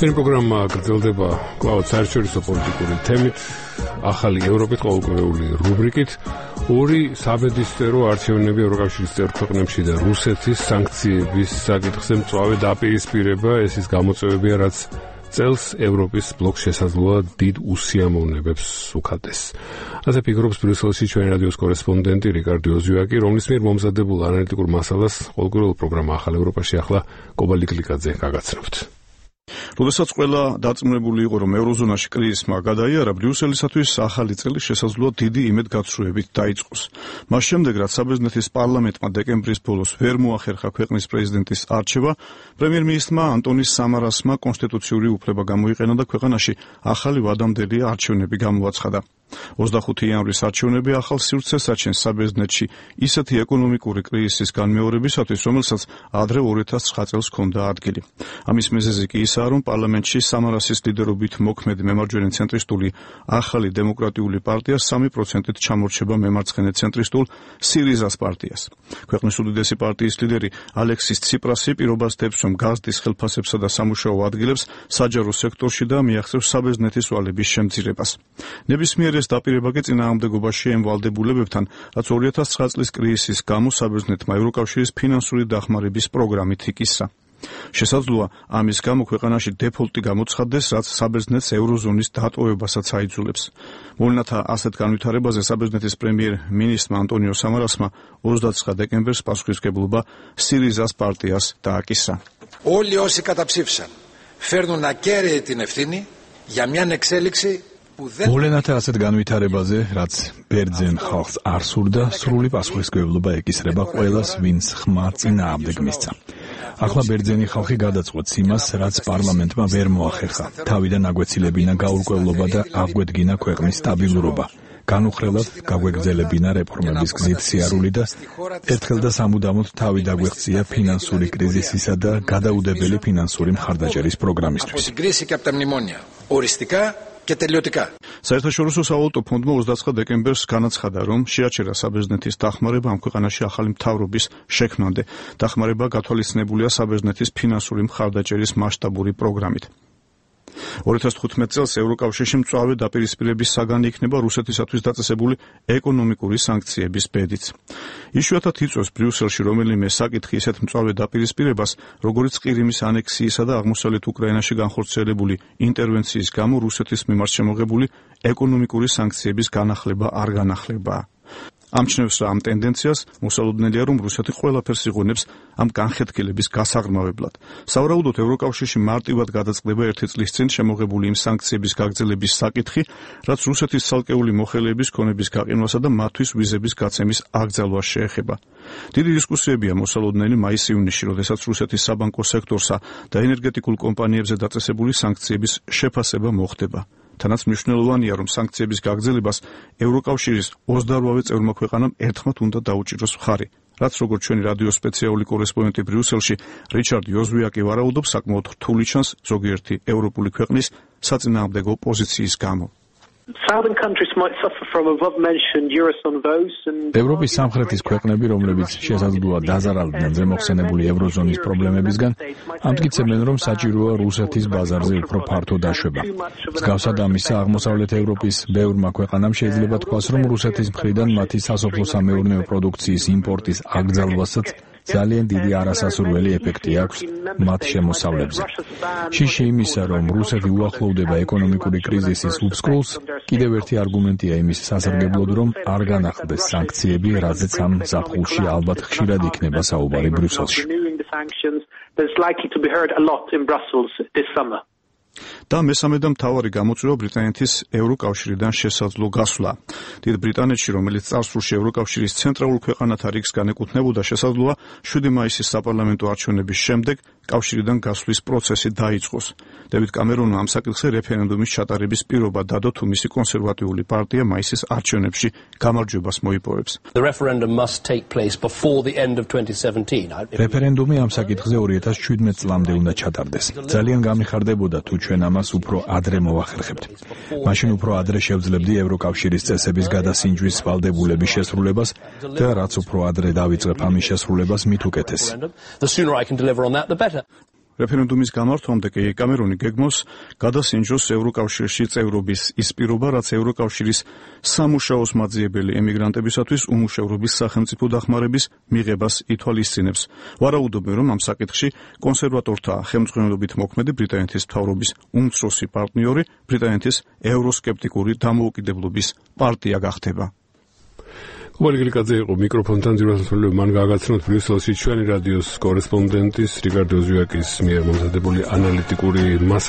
ჩვენი პროგრამა გრძელდება კვლავ საერთაშორისო პოლიტიკური თემით, ახალი ევროპის ყოველკვირეული რუბრიკით, ორი საბედისწერო არჩევნები ევროკავშირის წევრ ქვეყნებში და რუსეთის სანქციების საკითხზე მწვავე დაპირისპირება, ეს ის გამოწვევებია, რაც წელს ევროპის ბლოკს შესაძლოა დიდ უსიამოვნებებს უხატეს. ასე ფიქრობს ბრიუსელში ჩვენი რადიოს კორესპონდენტი რიკარდო ოზიაკი, რომლის მიერ მომზადებულ ანალიტიკურ მასალას ყოველკვირეულ პროგრამა ახალ ევროპაში ახლა კობალი კლიკაძე გაგაცნობთ. როდესაც ყველა დაწმუნებული იყო, რომ ევროზონაში კრიზისმა გადაიარა, ბრიუსელისათვის ახალი წელი შესაძლოა დიდი იმედგაცრუებით დაიწყოს. მას შემდეგ, რაც საბერძნეთის პარლამენტმა დეკემბრის ბოლოს ვერ მოახერხა ქვეყნის პრეზიდენტის არჩევა, პრემიერ-მინისტრმა ანტონის სამარასმა კონსტიტუციური უფლება გამოიყენა და ქვეყანაში ახალი ვადამდელი არჩევნები გამოაცხადა. 25 იანვრის არჩევნები ახალ სივრცეს აჩენს საბერძნეთში ისეთი ეკონომიკური კრიზისის განმეორებისათვის, რომელსაც ადრე 2009 წელს ჰქონდა ადგილი. ამის მიზეზი კი ისაა, რომ პარლამენტში სამარასის ლიდერობით მოქმედი მემარჯვენე ცენტრისტული ახალი დემოკრატიული პარტია 3%-ით ჩამორჩება მემარცხენე ცენტრისტულ სირიზას პარტიას. ქვეყნის უდიდესი პარტიის ლიდერი ალექსის ციპრასი პირობას დებს, რომ გაზდის ხელფასებსა და სამუშაო ადგილებს საჯარო სექტორში და მიაღწევს საბერძნეთის ვალების შემცირებას. ნებისმიერ ეს დაპირება კი წინააღმდეგობაში ემვალდებულებებთან, რაც 2009 წლის კრიზისის გამო საბერძნეთმა ევროკავშირის ფინანსური დახმარების პროგრამით იკისრა. შესაძლოა ამის გამო ქვეყანაში დეფოლტი გამოცხადდეს, რაც საბერძნეთს ევროზონის დატოვებასაც აიძულებს. მოვლენათა ასეთ განვითარებაზე საბერძნეთის პრემიერ-მინისტრმა ანტონიო სამარასმა 29 დეკემბერს პასუხისმგებლობა სირიზას პარტიას დააკისრა. Όλοι όσοι καταψήφισαν φέρνουν ακέραιη την ευθύνη για μια εξέλιξη. მოვლენათა ასეთ განვითარებაზე, რაც ბერძენ ხალხს არ სურდა, სრული პასუხისმგებლობა ეკისრება ყველას, ვინც ხმა წინააღმდეგ მისცა. ახლა ბერძენი ხალხი გადაწყვეტს იმას, რაც პარლამენტმა ვერ მოახერხა. თავიდან აგვეცილებინა გაურკვევლობა და აგვედგინა ქვეყნის სტაბილურობა. განუხრელად გაგვეგრძელებინა რეფორმების გზით სიარული და ერთხელ და სამუდამოდ თავი დაგვეღწია ფინანსური კრიზისისა და გადაუდებელი ფინანსური მხარდაჭერის პროგრამისთვის. საერთაშორისო სავალუტო ფონდმა 29 დეკემბერს განაცხადა, რომ შეაჩერა საბერძნეთის დახმარება ამ ქვეყანაში ახალი მთავრობის შექმნამდე. დახმარება გათვალისწინებულია საბერძნეთის ფინანსური მხარდაჭერის მასშტაბური პროგრამით. 2015 წელს ევროკავშირში მწვავე დაპირისპირების საგანი იქნება რუსეთისათვის დაწესებული ეკონომიკური სანქციების ბედიც. იშვიათად იწვევს ბრიუსელში რომელიმე საკითხი ისეთ მწვავე დაპირისპირებას, როგორც ყირიმის ანექსიისა და აღმოსავლეთ უკრაინაში განხორციელებული ინტერვენციის გამო რუსეთის მიმართ შემოღებული ეკონომიკური სანქციების განახლება არ განახლებაა. ამჩნევს რა ამ ტენდენციას, მოსალოდნელია, რომ რუსეთი ყველაფერს იღონებს ამ განხეთქილების გასაღრმავებლად. სავარაუდოდ ევროკავშირში მარტივად გადაწყდება 1 წლის წინ შემოღებული იმ სანქციების გაგრძელების საკითხი, რაც რუსეთის ცალკეული მოხელეების ქონების გაყინვასა და მათთვის ვიზების გაცემის აკრძალვას შეეხება. დიდი დისკუსიებია მოსალოდნელი მაის-ივნისში, როდესაც რუსეთის საბანკო სექტორსა და ენერგეტიკულ კომპანიებზე დაწესებული სანქციების შეფასება მოხდება. თანაც მნიშვნელოვანია, რომ სანქციების გაგრძელებას ევროკავშირის 28 წევრმა ქვეყანამ ერთხმად უნდა დაუჭიროს მხარი, რაც როგორც ჩვენი რადიოს სპეციალური კორესპონდენტი ბრიუსელში რიჩარდ ozwiaki ვარაუდობს, საკმაოდ რთული ჩანს ზოგიერთი ევროპული ქვეყნის საწინააღმდეგო პოზიციის გამო. ევროპის სამხრეთის ქვეყნები, რომლებიც შესაძლოა დაზარალდნენ ზემოხსენებული ევროზონის პრობლემებისგან, ამტკიცებენ, რომ საჭიროა რუსეთის ბაზარზე უფრო ფართო დაშვება. მსგავსად ამისა, აღმოსავლეთ ევროპის ბევრმა ქვეყანამ შეიძლება თქვას, რომ რუსეთის მხრიდან მათი სასოფლო-სამეურნეო პროდუქციის იმპორტის აკრძალვასაც ძალიან დიდი არასასურველი ეფექტი აქვს მათ შემოსავლებზე. შიში იმისა, რომ რუსეთი უახლოვდება ეკონომიკური კრიზისის უფსკრულს, კიდევ ერთი არგუმენტია იმის სასარგებლოდ, რომ არ განახლდეს სანქციები, რაზეც ამ ზაფხულში ალბათ ხშირად იქნება საუბარი ბრიუსელში. და მესამე და მთავარი გამოწვევა ბრიტანეთის ევროკავშირიდან შესაძლო გასვლა. დიდ ბრიტანეთში, რომელიც წარსულში ევროკავშირის ცენტრალურ ქვეყანათა რიგს განეკუთვნებოდა, შესაძლოა 7 მაისის საპარლამენტო არჩევნების შემდეგ კავშირიდან გასვლის პროცესი დაიწყოს. დევიდ კამერონმა ამ საკითხზე რეფერენდუმის ჩატარების პირობა დადო, თუ მისი კონსერვატიული პარტია მაისის არჩევნებში გამარჯვებას მოიპოვებს. რეფერენდუმი ამ საკითხზე 2017 წლამდე უნდა ჩატარდეს. ძალიან გამიხარდებოდა, თუ ჩვენ ამას უფრო ადრე მოვახერხებთ. მაშინ უფრო ადრე შევძლებდი ევროკავშირის წესების გადასინჯვის ვალდებულების შესრულებას და რაც უფრო ადრე დავიწყებ ამის შესრულებას, მით უკეთესი. რეფერენდუმის გამართვამდე კი კამერონი გეგმავს გადასინჯოს ევროკავშირში წევრობის ის პირობა, რაც ევროკავშირის სამუშაოს მაძიებელი ემიგრანტებისათვის უმუშევრობის სახელმწიფო დახმარების მიღებას ითვალისწინებს. ვარაუდობენ, რომ ამ საკითხში კონსერვატორთა ხელმძღვანელობით მოქმედი ბრიტანეთის მთავრობის უმცროსი პარტნიორი ბრიტანეთის ევროსკეპტიკური დამოუკიდებლობის პარტია გახდება. Გულგილიკაძე იყო მიკროფონთან ძირითადად მან გააგრძნოთ ბრიუსელში ჩვენი რადიოს კორესპონდენტის რიკარდო ზუაკის მიერ მომზადებული ანალიტიკური